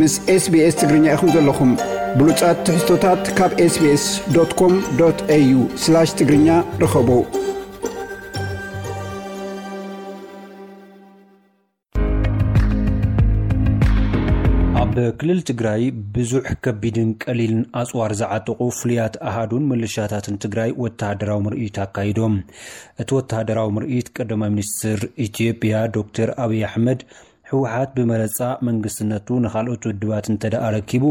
ምስ SBS ትግርኛ ኢኹም ዘለኹም። ብሉጻት ትሕዝቶታት ካብ SBS.com.au/ትግርኛ ርኸቡ። ኣብ ክልል ትግራይ ብዙሕ ከቢድን ቀሊልን ኣጽዋር ዝዓጠቑ ፍሉያት ኣሃዱን ምልሻታትን ትግራይ ወተሃደራዊ ምርኢት ኣካይዶም። እቲ ወተሃደራዊ ምርኢት ቀዳማይ ሚኒስትር ኢትዮጵያ ዶክተር ኣብይ ኣሕመድ፣ ህወሓት ብመረጻ መንግስትነቱ ንኻልኦት ውድባት እንተ ደኣ ረኪቡ፣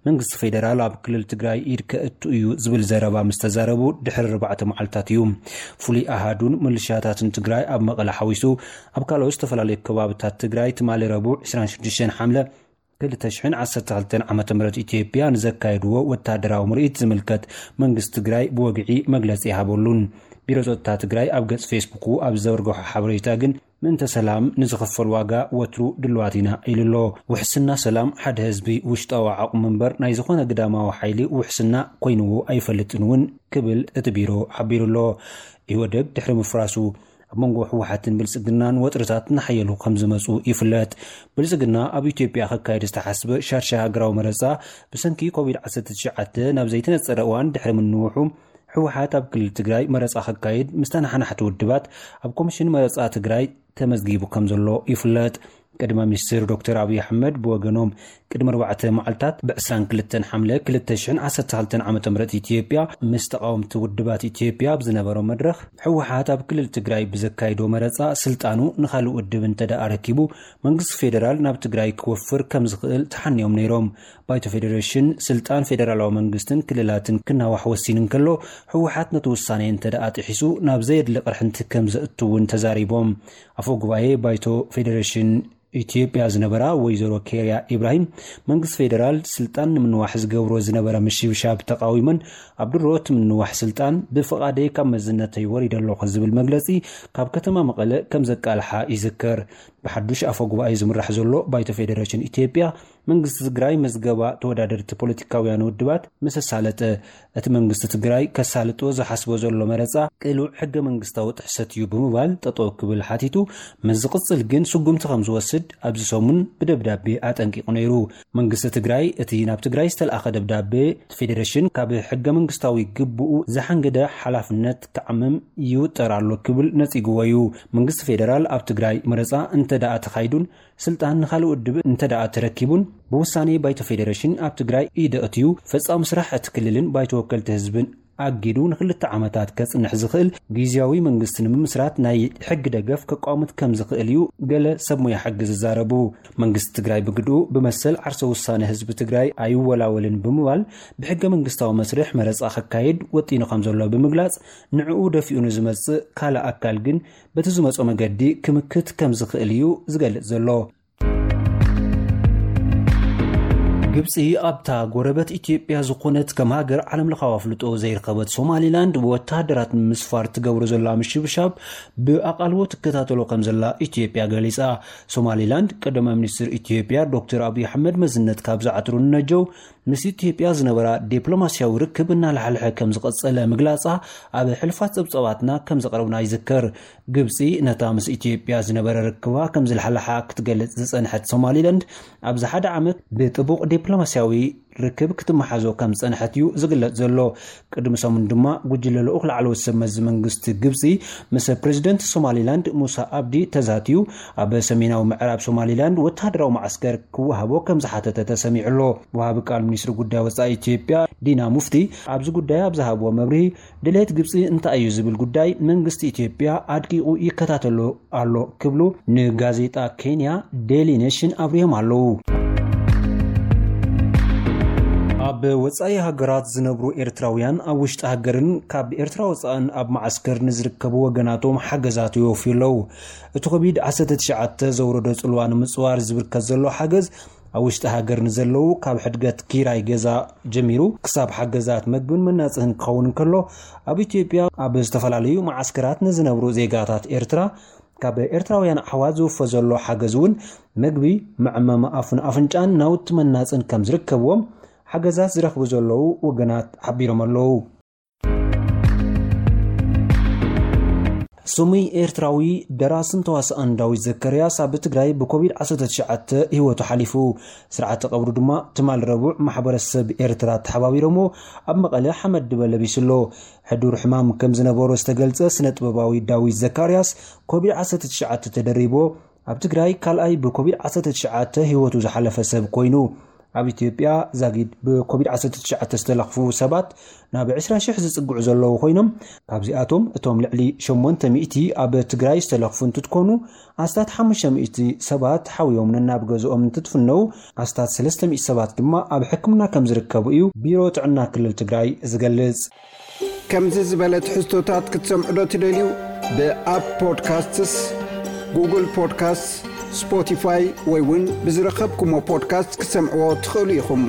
መንግስቲ ፌደራል ኣብ ክልል ትግራይ ኢድ ከእቱ እዩ ዝብል ዘረባ ምስ ተዛረቡ ድሕሪ ኣርባዕተ መዓልታት እዩ። ፍሉይ ኣሃዱን ምልሻታትን ትግራይ ኣብ መቐለ ሓዊሱ ኣብ ካልኦት ዝተፈላለዩ ከባብታት ትግራይ ትማሊ ረቡዕ ዕስራን ሽዱሽተን ሓምለ ክልተ ሽሕን ዓሰርተ ክልተን ዓመተ ምህረት ኢትዮጵያ ንዘካየድዎ ወታደራዊ ምርኢት ዝምልከት መንግስቲ ትግራይ ብወግዒ መግለጺ ይሃበሉን። ቢሮ ጸጥታ ትግራይ ኣብ ገጽ ፌስቡኩ ኣብ ዘርግሖ ሓበሬታ ግን፣ ምእንተ ሰላም ንዝኽፈል ዋጋ ወትሩ ድልዋት ኢና ኢሉ ኣሎ። ውሕስና ሰላም ሓደ ህዝቢ ውሽጣዊ ዓቕሙ እምበር ናይ ዝኾነ ግዳማዊ ሓይሊ ውሕስና ኮይንዎ ኣይፈልጥን እውን ክብል እቲ ቢሮ ሓቢሩ ኣሎ። ኢህወደግ ድሕሪ ምፍራሱ ኣብ መንጎ ህወሓትን ብልጽግናን ወጥርታት እናሓየሉ ከም ዝመጹ ይፍለጥ። ብልጽግና ኣብ ኢትዮጵያ ከካየድ ዝተሓስበ ሻድሻይ ሃገራዊ መረጻ ብሰንኪ ኮቪድ ዓሰርተ ትሽዓተ ናብ ዘይተነጸረ እዋን ድሕሪ ምንውሑ፣ ህወሓት ኣብ ክልል ትግራይ መረጻ ከካይድ ምስ ተነሓናሕቲ ውድባት ኣብ ኮሚሽን መረጻ ትግራይ ተመዝጊቡ ከም ዘሎ ይፍለጥ። ቀዳማይ ሚኒስትር ዶክተር ኣብይ ኣሕመድ ብወገኖም፣ ቅድሚ ኣርባዕተ መዓልታት ብዕስራን ክልተን ሓምለ ክልተ ሽሕን ዓሰርተ ክልተን ዓመተ ምህረት ኢትዮጵያ ምስ ተቓወምቲ ውድባት ኢትዮጵያ ኣብ ዝነበሮ መድረኽ፣ ህወሓት ኣብ ክልል ትግራይ ብዘካይዶ መረጻ ስልጣኑ ንኻልእ ውድብ እንተ ደኣ ረኪቡ፣ መንግስቲ ፌደራል ናብ ትግራይ ክወፍር ከም ዝኽእል ተሓንዮም ነይሮም። ባይቶ ፌደሬሽን ስልጣን ፌደራላዊ መንግስትን ክልላትን ክናዋሕ ወሲኑ እንከሎ፣ ህወሓት ነቲ ውሳኔ እንተ ደኣ ጥሒሱ ናብ ዘየድሊ ቅርሕንቲ ከም ዘእቱ እውን ተዛሪቦም። ኣፈ ጉባኤ ባይቶ ፌደሬሽን ኢትዮጵያ ዝነበራ ወይዘሮ ኬርያ ኢብራሂም፣ መንግስቲ ፌደራል ስልጣን ንምንዋሕ ዝገብሮ ዝነበረ ምሽብሻብ ተቃዊመን፣ ኣብ ድሮ እቲ ምንዋሕ ስልጣን ብፍቓደይ ካብ መዝነተይ ወሪደ ኣለኹ ዝብል መግለጺ ካብ ከተማ መቐለ ከም ዘቃልሓ ይዝከር። ብሓዱሽ ኣፈ ጉባኤ ዝምራሕ ዘሎ ባይቶ ፌደሬሽን ኢትዮጵያ፣ መንግስቲ ትግራይ መዝገባ ተወዳደርቲ ፖለቲካውያን ውድባት ምስ ኣሳለጠ፣ እቲ መንግስቲ ትግራይ ከሳልጦ ዝሓስቦ ዘሎ መረጻ ቅሉዕ ሕገ መንግስታዊ ጥሕሰት እዩ ብምባል ጠጠው ክብል ሓቲቱ፣ ምስ ዝቕጽል ግን ስጉምቲ ከም ዝወስድ ኣብዚ ሰሙን ብደብዳቤ ኣጠንቂቑ ነይሩ። መንግስቲ ትግራይ እቲ ናብ ትግራይ ዝተልኣኸ ደብዳቤ፣ እቲ ፌዴሬሽን ካብ ሕገ መንግስታዊ ግብኡ ዝሓንገደ ሓላፍነት ክዓምም ይውጠር ኣሎ ክብል ነጺግዎ እዩ። መንግስቲ ፌዴራል ኣብ ትግራይ መረጻ እንተ ደኣ ተኻይዱን ስልጣን ንኻልእ ውድብ እንተ ደኣ ተረኪቡን፣ ብውሳኔ ባይቶ ፌዴሬሽን ኣብ ትግራይ ኢድ ኣእትዩ፣ ፈጻሚ ስራሕ እቲ ክልልን ባይቶ ወከልቲ ህዝብን ኣጊዱ ንክልተ ዓመታት ከጽንሕ ዝኽእል ግዝያዊ መንግስቲ ንምምስራት ናይ ሕጊ ደገፍ ከቋምት ከም ዝኽእል እዩ ገለ ሰብ ሞያ ሕጊ ዝዛረቡ። መንግስቲ ትግራይ ብግድኡ ብመሰል ዓርሰ ውሳነ ህዝቢ ትግራይ ኣይወላወልን ብምባል፣ ብሕገ መንግስታዊ መስርሕ መረጻ ከካይድ ወጢኑ ከም ዘሎ ብምግላጽ፣ ንዕኡ ደፊኡ ንዝመጽእ ካልእ ኣካል ግን በቲ ዝመጾ መገዲ ክምክት ከም ዝኽእል እዩ ዝገልጽ ዘሎ። ግብጺ ኣብታ ጎረበት ኢትዮጵያ ዝኾነት ከም ሃገር ዓለምለኻዊ ኣፍልጦ ዘይረኸበት ሶማሊላንድ ብወተሃደራት ንምስፋር ትገብሮ ዘላ ምሽብሻብ ብኣቓልቦ ትከታተሎ ከም ዘላ ኢትዮጵያ ገሊጻ። ሶማሊላንድ ቀዳማይ ሚኒስትር ኢትዮጵያ ዶክተር ኣብይ ኣሕመድ መዝነት ካብ ዝዓትሩ ንነጀው ምስ ኢትዮጵያ ዝነበራ ዲፕሎማስያዊ ርክብ እናላሕልሐ ከም ዝቐጸለ ምግላጻ ኣብ ሕልፋት ጸብጻባትና ከም ዘቕረብና ይዝከር። ግብጺ ነታ ምስ ኢትዮጵያ ዝነበረ ርክባ ከም ዝለሓለሓ ክትገልጽ ዝጸንሐት ሶማሊላንድ፣ ኣብዚ ሓደ ዓመት ብጥቡቕ ዲፕሎማስያዊ ርክብ ክትመሓዞ ከም ዝጸንሐት እዩ ዝግለጽ ዘሎ። ቅድሚ ሰሙን ድማ ጉጅለ ልኡኽ ላዕለዎት ሰብ መዚ መንግስቲ ግብጺ ምስ ፕሬዚደንት ሶማሊላንድ ሙሳ ኣብዲ ተዛትዩ፣ ኣብ ሰሜናዊ ምዕራብ ሶማሊላንድ ወተሃደራዊ መዓስከር ክወሃቦ ከም ዝሓተተ ተሰሚዑ ኣሎ። ወሃቢ ቃል ሚኒስትሪ ጉዳይ ወጻኢ ኢትዮጵያ ዲና ሙፍቲ ኣብዚ ጉዳይ ኣብ ዝሃብዎ መብርሂ፣ ድሌት ግብጺ እንታይ እዩ ዝብል ጉዳይ መንግስቲ ኢትዮጵያ ኣድቂቑ ይከታተሎ ኣሎ ክብሉ ንጋዜጣ ኬንያ ዴሊ ኔሽን ኣብሪሆም ኣለዉ። ኣብ ወጻኢ ሃገራት ዝነብሩ ኤርትራውያን ኣብ ውሽጢ ሃገርን ካብ ኤርትራ ወጻእን ኣብ መዓስከር ንዝርከቡ ወገናቶም ሓገዛት ይወፍዩ ኣለዉ። እቲ ኮቪድ ዓሰርተ ትሽዓተ ዘውረዶ ጽልዋ ንምጽዋር ዝብርከት ዘሎ ሓገዝ ኣብ ውሽጢ ሃገር ንዘለዉ ካብ ሕድገት ኪራይ ገዛ ጀሚሩ ክሳብ ሓገዛት መግብን መናጽህን ክኸውን እንከሎ፣ ኣብ ኢትዮጵያ ኣብ ዝተፈላለዩ መዓስከራት ንዝነብሩ ዜጋታት ኤርትራ ካብ ኤርትራውያን ኣሕዋት ዝውፈ ዘሎ ሓገዝ እውን መግቢ፣ መዕመሚ ኣፍን ኣፍንጫን ናውቲ መናጽን ከም ዝርከብዎም ሓገዛት ዝረኽቡ ዘለዉ ወገናት ሓቢሮም ኣለዉ። ስሙይ ኤርትራዊ ደራስን ተዋስኣን ዳዊት ዘከርያስ ኣብ ትግራይ ብኮቪድ ዓሰርተ ትሽዓተ ህይወቱ ሓሊፉ። ስርዓተ ቀብሩ ድማ ትማል ረቡዕ ማሕበረሰብ ኤርትራ ተሓባቢሮሞ ኣብ መቐለ ሓመድ ድበ ለቢሱ ኣሎ። ሕዱር ሕማም ከም ዝነበሮ ዝተገልጸ ስነ ጥበባዊ ዳዊት ዘካርያስ ኮቪድ ዓሰርተ ትሽዓተ ተደሪቦ ኣብ ትግራይ ካልኣይ ብኮቪድ ዓሰርተ ትሽዓተ ህይወቱ ዝሓለፈ ሰብ ኮይኑ። ኣብ ኢትዮጵያ ዛጊድ ብኮቪድ ዓሰርተ ትሽዓተ ዝተለኽፉ ሰባት ናብ ዕስራ ሽሕ ዝጽግዑ ዘለዉ ኮይኖም፣ ካብዚኣቶም እቶም ልዕሊ ሸሞንተ ሚእቲ ኣብ ትግራይ ዝተለኽፉ እንትትኮኑ፣ ኣስታት ሓሙሽተ ሚእቲ ሰባት ሓውዮም ነናብ ገዝኦም እንትትፍነው፣ ኣስታት ሰለስተ ሚእቲ ሰባት ድማ ኣብ ሕክምና ከም ዝርከቡ እዩ ቢሮ ጥዕና ክልል ትግራይ ዝገልጽ። ከምዚ ዝበለ ትሕዝቶታት ክትሰምዑ ዶ ትደልዩ? ብኣፕ ፖድካስትስ፣ ጉግል ፖድካስት፣ ስፖቲፋይ ወይ እውን ብዝረኸብኩሞ ፖድካስት ክትሰምዕዎ ትኽእሉ ኢኹም።